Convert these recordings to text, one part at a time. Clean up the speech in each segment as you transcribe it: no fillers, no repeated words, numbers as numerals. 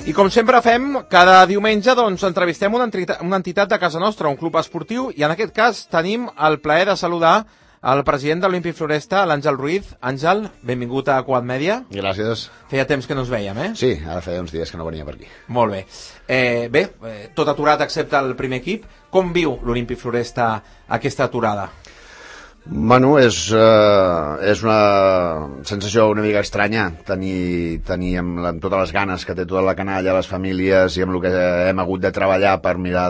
I com sempre fem, cada diumenge entrevistem una entitat de casa nostra, un club esportiu, i en aquest cas tenim el plaer de saludar el president de l'Olímpic Floresta, l'Àngel Ruiz. Àngel, benvingut a Quad Media. Gràcies. Feia temps que no ens veiem, eh? Sí, ara feia uns dies que no venia per aquí. Molt bé. Tot aturat excepte el primer equip. Com viu l'Olímpic Floresta aquesta aturada? Bueno, és una sensació una mica estranya tenir amb totes les ganes que té tota la canalla, les famílies i amb el que hem hagut de treballar per mirar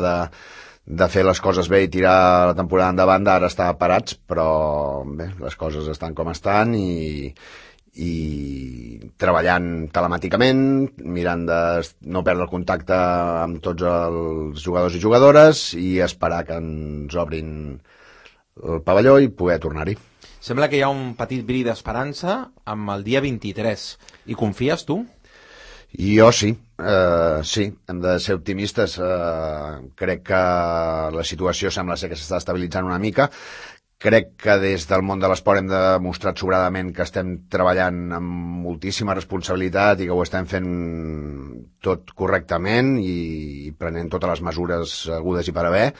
de fer les coses bé i tirar la temporada endavant, ara estar parats, però bé, les coses estan com estan i treballant telemàticament, mirant de no perdre el contacte amb tots els jugadors i jugadores i esperar que ens obrin el pavelló i poder tornar-hi. Sembla que hi ha un petit bri d'esperança amb el dia 23. I confies, tu? Jo sí, hem de ser optimistes. Crec que la situació sembla ser que s'està estabilitzant una mica. Crec que des del món de l'esport hem demostrat sobradament que estem treballant amb moltíssima responsabilitat i que ho estem fent tot correctament i prenent totes les mesures hagudes i per haver.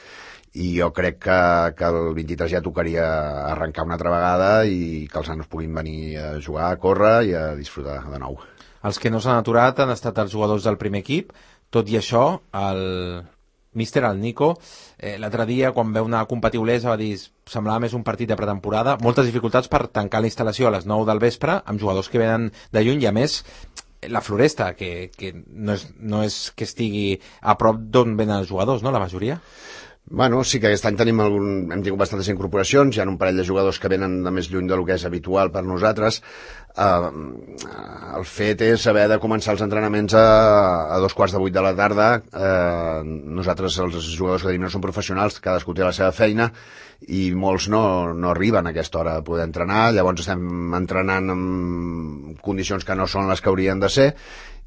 I jo crec que el 23 ja tocaria arrencar una altra vegada i que els nanos puguin venir a jugar, a córrer i a disfrutar de nou. Els que no s'han aturat han estat els jugadors del primer equip. Tot i això, el míster, el Nico, l'altre dia, quan veu una competir Olesa, va dir semblava més un partit de pretemporada. Moltes dificultats per tancar la instal·lació a les 9 del vespre, amb jugadors que venen de lluny, i a més, la Floresta, que no és que estigui a prop d'on venen els jugadors, no?, la majoria. Bueno, sí que aquest any hem tingut bastantes incorporacions, hi ha un parell de jugadors que venen de més lluny del que és habitual per nosaltres. El fet és haver de començar els entrenaments a 7:15 de la tarda. Nosaltres, els jugadors que tenim, no són professionals, cadascú té la seva feina i molts no arriben a aquesta hora a poder entrenar, llavors estem entrenant en condicions que no són les que haurien de ser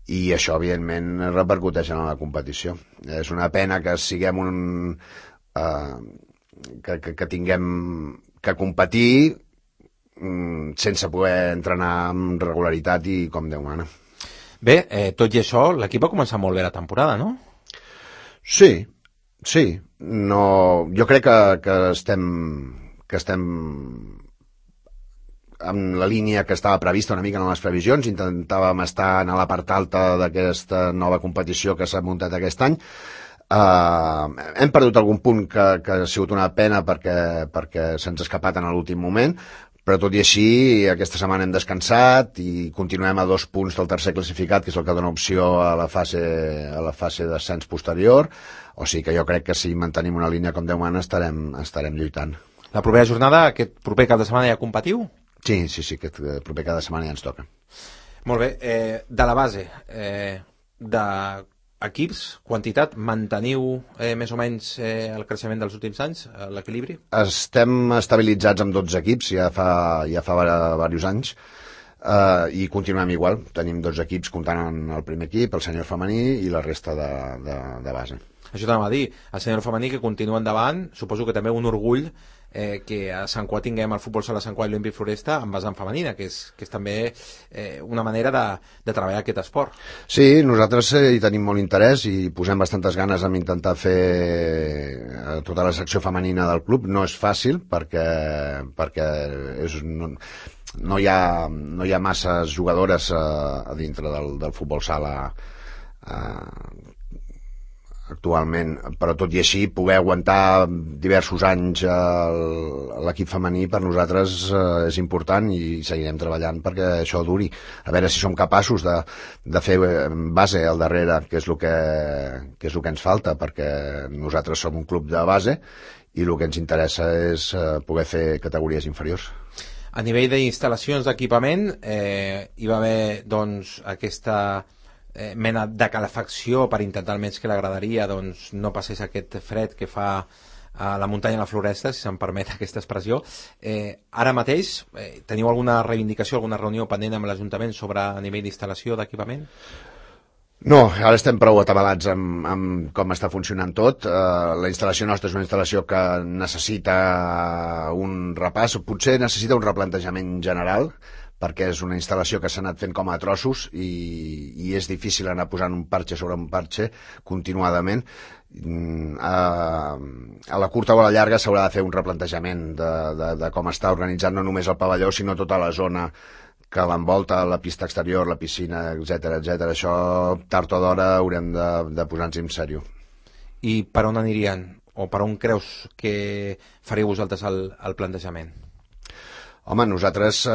i això, evidentment, repercuteix en la competició. És una pena que siguem que tinguem que competir sense poder entrenar amb regularitat i com Déu mana. Bé, tot i això, l'equip va començar molt bé la temporada, no? Sí. No, jo crec que estem en la línia que estava prevista una mica en les previsions. Intentàvem estar en la part alta d'aquesta nova competició que s'ha muntat aquest any. Hem perdut algun punt que ha sigut una pena perquè se'ns ha escapat en l'últim moment, però tot i així aquesta setmana hem descansat i continuem a 2 punts del tercer classificat, que és el que dona opció a la fase d'ascens posterior, o sigui que jo crec que si mantenim una línia com Déu mana estarem lluitant. La propera jornada, aquest proper cap de setmana ja competiu? Sí, aquest proper cada setmana ja ens toca. Molt bé, de la base d'equips, quantitat, manteniu més o menys el creixement dels últims anys, l'equilibri? Estem estabilitzats amb 12 equips, ja fa diversos anys, i continuem igual. Tenim 12 equips comptant en el primer equip, el sènior femení i la resta de base. Això t'anava a dir, el sènior femení que continua endavant, suposo que també un orgull que a Sant Cugat tinguem el futbol sala Sant Cugat i l'Olímpic Floresta en vessant femenina, que és també una manera de treballar aquest esport. Sí, nosaltres hi tenim molt interès i posem bastantes ganes en intentar fer tota la secció femenina del club. No és fàcil perquè no hi ha masses jugadores a dintre del futbol sala actualment, però tot i així poder aguantar diversos anys l'equip femení per nosaltres és important i seguirem treballant perquè això duri. A veure si som capaços de fer base al darrere, que és el que ens falta, perquè nosaltres som un club de base i el que ens interessa és poder fer categories inferiors. A nivell d'instal·lacions d'equipament hi va haver doncs aquesta mena de calefacció per intentar almenys que l'agradaria no passés aquest fred que fa a la muntanya de la Floresta, si se'm permet aquesta expressió. Ara mateix teniu alguna reivindicació, alguna reunió pendent amb l'Ajuntament sobre a nivell d'instal·lació d'equipament? No, ara estem prou atabalats amb com està funcionant tot. La instal·lació nostra és una instal·lació que necessita un repàs, potser necessita un replantejament general, perquè és una instal·lació que s'ha anat fent com a trossos i és difícil anar posant un parxe sobre un parxe continuadament. A la curta o a la llarga s'haurà de fer un replantejament de com està organitzat no només el pavelló, sinó tota la zona que l'envolta, la pista exterior, la piscina, etc. Això tard o d'hora haurem de posar-nos en sèrio. I per on anirien? O per on creus que faríeu vosaltres el plantejament? Home, nosaltres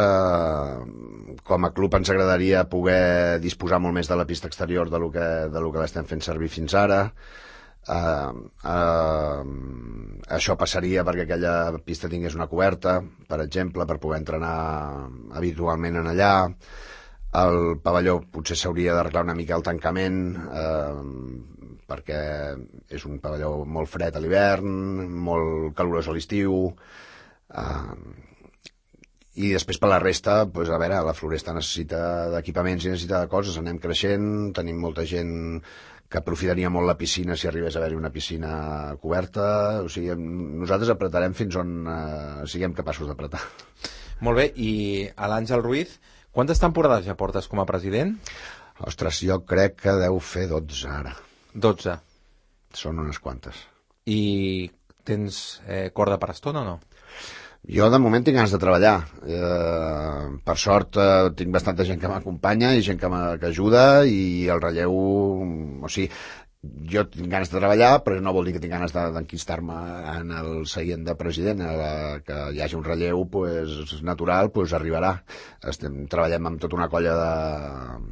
com a club ens agradaria poder disposar molt més de la pista exterior de lo que l'estem fent servir fins ara. Això passaria perquè aquella pista tingués una coberta, per exemple, per poder entrenar habitualment en allà. El pavelló potser s'hauria d'arreglar una mica el tancament, perquè és un pavelló molt fred a l'hivern, molt calorós a l'estiu, i després per la resta, doncs, a veure, la Floresta necessita d'equipaments i necessita de coses, anem creixent, tenim molta gent que aprofitaria molt la piscina si arribés a haver-hi una piscina coberta, o sigui, nosaltres apretarem fins on siguem capaços d'apretar. Molt bé, i a l'Àngel Ruiz, quantes temporades ja portes com a president? Ostres, jo crec que deu fer 12 ara. 12. Són unes quantes. I tens corda per estona o no? Jo de moment tinc ganes de treballar. Per sort tinc bastanta gent que m'acompanya i gent que ajuda, i el relleu, o sigui, jo tinc ganes de treballar, però no vol dir que tinc ganes d'enquistar-me en el seient de president. Que hi hagi un relleu pues, natural, pues, arribarà. Treballem amb tota una colla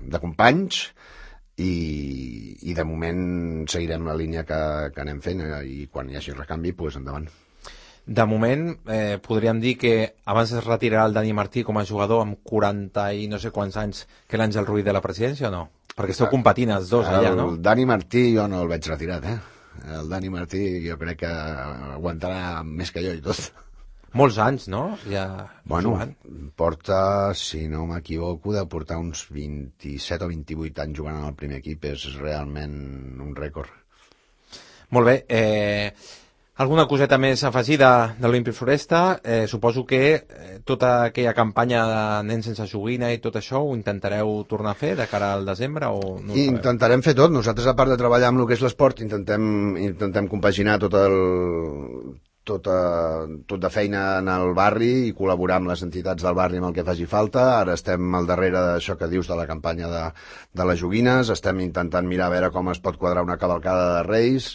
de companys i de moment seguirem la línia que anem fent, i quan hi hagi recanvi, pues, endavant. De moment, podríem dir que abans es retirarà el Dani Martí com a jugador amb 40 i no sé quants anys que l'Àngel Ruiz de la presidència, o no? Perquè esteu competint els dos allà, no? El Dani Martí jo no el veig retirat, El Dani Martí jo crec que aguantarà més que jo i tot. Molts anys, no? Ja bueno, jugant. Porta, si no m'equivoco, de portar uns 27 o 28 anys jugant en el primer equip. És realment un rècord. Molt bé. Alguna coseta més afegida de l'Olímpic Floresta? Suposo que tota aquella campanya de nens sense joguina i tot això ho intentareu tornar a fer de cara al desembre? O no intentarem fer tot. Nosaltres, a part de treballar amb el que és l'esport, intentem compaginar tot de feina en el barri i col·laborar amb les entitats del barri amb el que faci falta. Ara estem al darrere d'això que dius de la campanya de les joguines. Estem intentant mirar a veure com es pot quadrar una cavalcada de Reis.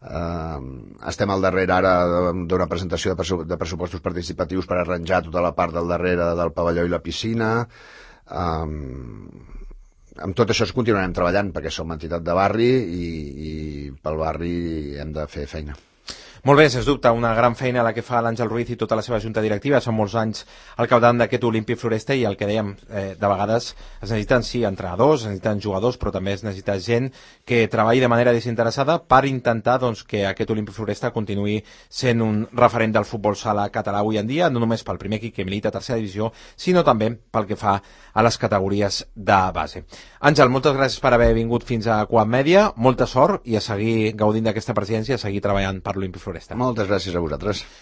Estem al darrere ara d'una presentació de pressupostos participatius per arranjar tota la part del darrere del pavelló i la piscina. Amb tot això continuarem treballant perquè som entitat de barri i pel barri hem de fer feina. Molt bé, sens dubte, una gran feina la que fa l'Àngel Ruiz i tota la seva junta directiva. Són molts anys al capdavant d'aquest Olímpic Floresta i el que dèiem, de vegades es necessiten, sí, entrenadors, es necessiten jugadors, però també es necessita gent que treballi de manera desinteressada per intentar doncs, que aquest Olímpic Floresta continuï sent un referent del futbol sala català avui en dia, no només pel primer equip que milita a tercera divisió, sinó també pel que fa a les categories de base. Àngel, moltes gràcies per haver vingut fins a Coap Mèdia, molta sort i a seguir gaudint d'aquesta presidència, a seguir treballant per l'Olímpic Floresta. Moltes gràcies a vosaltres.